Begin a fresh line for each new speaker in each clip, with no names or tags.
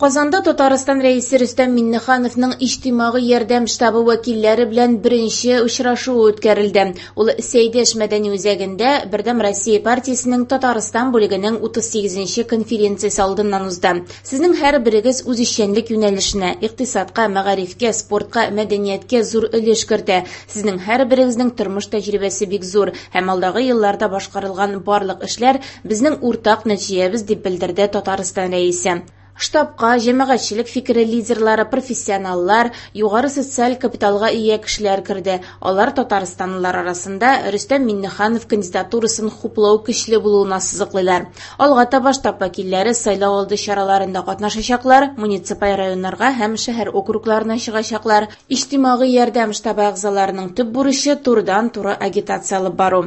Казанда Татарстан Рәисе Рөстәм Миңнехановның Иҗтимагый ярдәм штабы вәкилләре белән беренче очрашуы үткәрелде. Ул Сәйдәш мәдәни үзәгендә Бердәм Россия партиясенең Татарстан бүлегенең 38 нче конференциясе алдыннан узды. Сезнең һәрберегез үз эшчәнлек юнәлешенә, икътисадка, мәгарифкә, спортка, мәдәнияткә зур өлеш кертә. Сезнең һәрберегезнең тормыш тәҗрибәсе бик зур һәм алдагы елларда башкарылган барлык эшләр, безнең уртак нәтиҗәбез, дип белдерде Татарстан Рәисе. Штабка җәмәгатьчелек фикере лидерлары, профессионаллар, югары социаль капиталга ия кешеләр керде. Алар татарстанлылар арасында Рөстәм Миңнеханов кандидатурасын хуплау көчле булуын ассызыклыйлар. Алга таба штаб вәкилләре сайлау алды чараларында катнашачаклар, муниципаль районнарга һәм шәһәр округларына чыгачаклар. Иҗтимагый ярдәм штабы әгъзаларының төп бурычы, турыдан-туры агитация алып бару.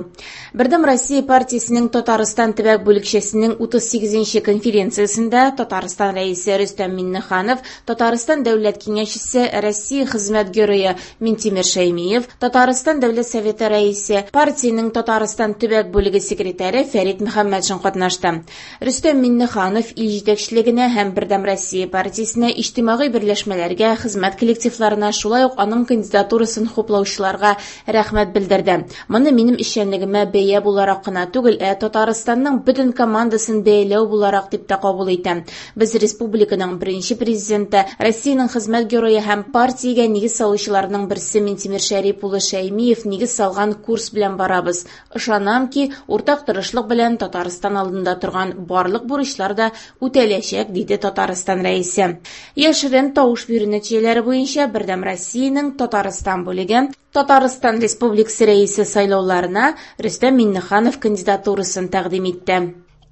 Бердәм Россия партиясенең Татарстан төбәк бүлекчәсенең 38 нче конференциясендә Татарстан Рәисе Рөстәм Миңнеханов, Татарстан Дәүләт Киңәшчесе, Россия Хезмәт Герое Минтимер Шәймиев, Татарстан Дәүләт Советы Рәисе, партиянең Татарстан төбәк бүлеге секретаре Фәрит Мөхәммәтшин катнашты. Рөстәм Миңнеханов ил җитәкчелегенә һәм Бердәм Россия партиясенә, иҗтимагый берләшмәләргә, хезмәт коллективларына, шулай ук аның кандидатурасын хуплаучыларга рәхмәт белдерде. Моны минем эшчәнлегемә бәя буларак кына түгел, ә Татарстанның бөтен командасын бәяләү буларак дип тә кабул итәм. Без республиканың беренче Президенты, Россиянең Хезмәт Герое һәм партиягә нигез салучыларның берсе Минтимер Шәрип улы Шәймиев нигез салган курс белән барабыз. Ышанам ки, уртак тырышлык белән Татарстан алдында торган барлык бурычлар да үтәләчәк, диде Татарстан Рәисе. Яшерен тавыш бирү нәтиҗәләре буенча Бердәм Россиянең Татарстан бүлеге Татарстан Республикасы Рәисе сайлауларына Рөстәм Миңнеханов кандидатурасын тәкъдим итте.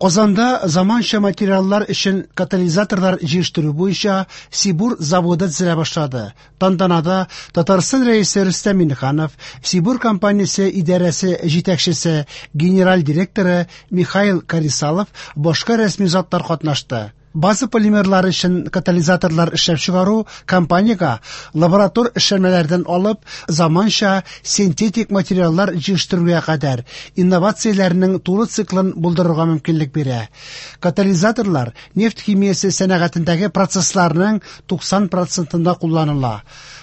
Казанда заманча материаллар өчен катализаторлар җитештерү буенча Сибур заводы төзелә башлады. Тантанада Татарстан Рәисе Рөстәм Миңнеханов, Сибур компаниясе идарәсе җитәкчесе, генераль директоры Михаил Карисалов, башка рәсми затлар катнашты. База полимерлары өчен катализаторлар эшләп чыгару компаниягә лаборатор эшләнмәләрдән алып, заманча синтетик материаллар җитештерүгә кадәр инновацияләрнең тулы циклын булдырырга мөмкинлек бирә. Катализаторлар нефть химиясе сәнәгатендәге процессларның 90 процентында кулланыла.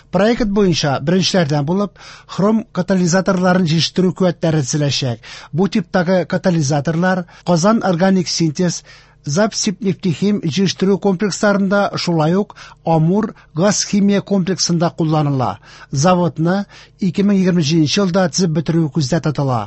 Проект буенча беренчеләрдән булып хром катализаторларын җитештерү куәтләре төзеләчәк. Бу типтагы катализаторлар Казан органик синтез Запсибнефтехим җитештерү комплексларында, шулай ук Амур газ-химия комплексында кулланыла. Заводны 2027 елда төзеп бетерү күздә тотыла.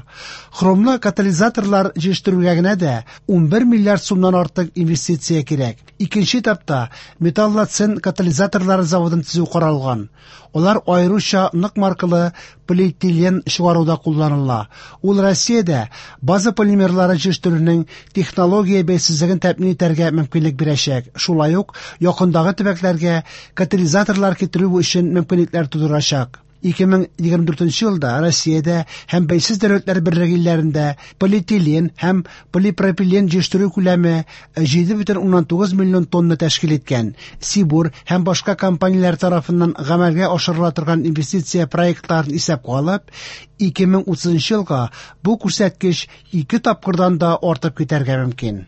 Хромлы катализаторлар җитештерүгә генә дә 11 миллиард сумнан артык инвестиция кирәк. Икенче этапта металлоцен катализаторлары заводын төзү каралган. Алар аеруча нык маркалы полиэтилен чыгаруда кулланыла. Ул Россиядә база полимерлары җитештерүнең технология бәйсезлеген тәэмин итәргә мөмкинлек бирәчәк, шулай ук якындагы төбәкләргә катализаторлар китерү өчен мөмкинлекләр тудырачак. 2024 елда Россиядә һәм Бәйсез Дәүләтләр Берлеге илләрендә полиэтилен һәм полипропилен җитештерү күләме 7,9 миллион тонна тәшкил иткән. Сибур һәм башка компанияләр тарафыннан гамәлгә ашырыла торган инвестиция проектларын исәпкә алып, 2030 елга бу күрсәткеч ике тапкырдан да артып китәргә мөмкин.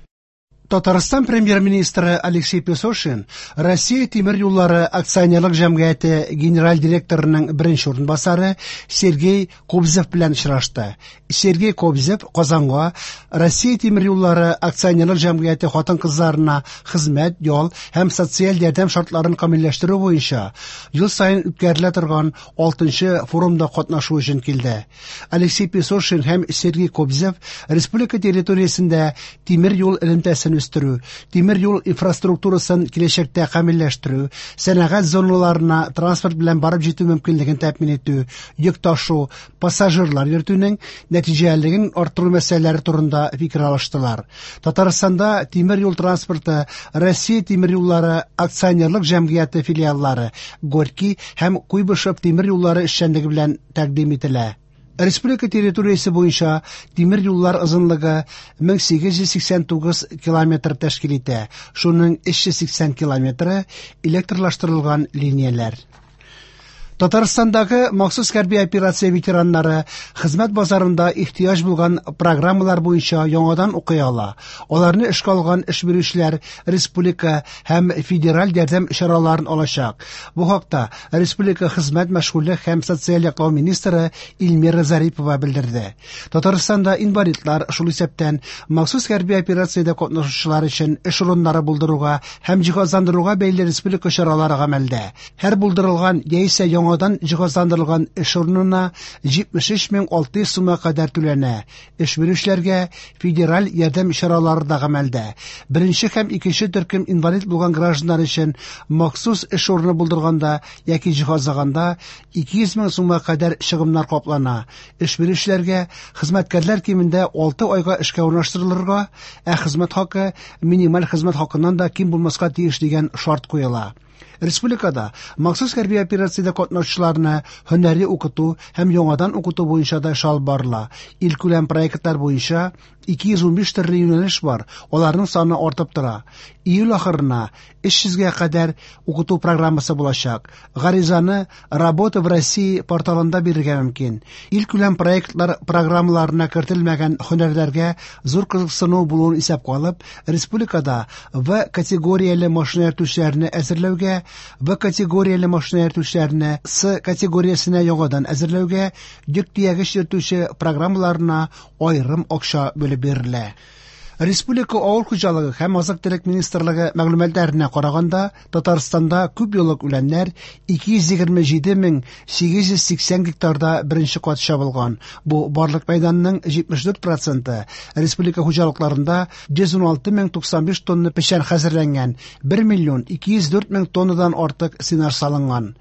Татарстан премьер-министры Алексей Песошин Россия тимер юллары акционерлык җәмгыяте генераль директорының беренче урынбасары Сергей Кобзев белән очрашты. Сергей Кобзев Казанга Россия тимер юллары акционерлык җәмгыяте хатын-кызларына хезмәт, ял һәм социаль ярдәм шартларын камилләштерү буенча ел саен үткәрелә торган 6 форумда катнашу өчен килде. Алексей Песошин һәм Сергей Кобзев республика территориясендә тимер юл элемтәсен үстерү, тимер юл инфраструктурасын киләчәктә камилләштерү, сәнәгать зоналарына транспорт белән барып җитү мөмкинлеген тәэмин итү, йөк ташу, пассажирлар йөртүнең нәтиҗәлелеген арттыру мәсьәләләре турында фикер алыштылар. Татарстанда тимер юл транспорты Россия тимер юллары акционерлык җәмгыяте филиаллары Горький һәм Куйбышев тимер юллары эшчәнлеге белән тәкъдим ителә. Республика территориясе буенча тимер юллар озынлыгы 1889 километр тәшкил итә, шуның 380 километры электрлаштырылган линияләр. Татарстандагы махсус хәрби операция ветераннары хезмәт базарында ихтыяҗ булган программалар буенча яңадан укый ала. Аларны эшкә алган эш бирүчеләр республика һәм федераль ярдәм чараларын алачак. Бу хакта республика хезмәт, мәшгульлек һәм социаль яклау министры Эльмира Зарипова белдерде. Татарстанда инвалидлар, шул исәптән махсус хәрби операциядә катнашучылар өчен эш урыннары булдыруга һәм җиһазландыруга бәйле республика чаралары гамәлдә. Һәр булдырылган яисә яңадан җиһазландырылган эш урынына 73 600 сумга кадәр түләнә. Эш бирүчеләргә федераль ярдәм чаралары да гамәлдә. Беренче һәм икенче төркем инвалид булган гражданнар өчен махсус эш урыны булдырганда яки җиһазлаганда 200 мең сумга кадәр чыгымнар каплана. Эш бирүчеләргә хезмәткәрләр кимендә 6 айга эшкә урнаштырылырга, ә хезмәт хакы минималь хезмәт хакыннан да ким булмаска тиеш дигән шарт куела. Республикада махсус хәрби операциядә катнашучыларны һөнәри укыту һәм яңадан укыту буенча да эш алып барыла. Илкүләм проектлар буенча 215 төрле юнәлеш бар, аларның саны артып тора. Июль ахырына 300гә кадәр укыту программасы булачак. Гаризаны «Работа в России» порталында бирергә мөмкин. Илкүләм проектлар программаларына кертелмәгән һөнәрләргә зур кызыксыну булуын исәпкә алып, республикада В категорияле машина йөртүчеләрне әзерләүгә, Б категорияле машина йөртүчеләрне С категориясенә яңадан әзерләүгә, йөк төягеч йөртүче программаларына аерым акча бүлеп бирелә. Республика авыл хуҗалыгы һәм азык-төлек министрлыгы мәгълүматларына караганда, Татарстанда күп еллык үләннәр 227 880 гектарда беренче кат чабылган. Бу барлык мәйданның 74 проценты. Республика хуҗалыкларында 116 095 тонна печән хәзерләнгән, 1 миллион 204 мең тоннадан артык сенаж салынган.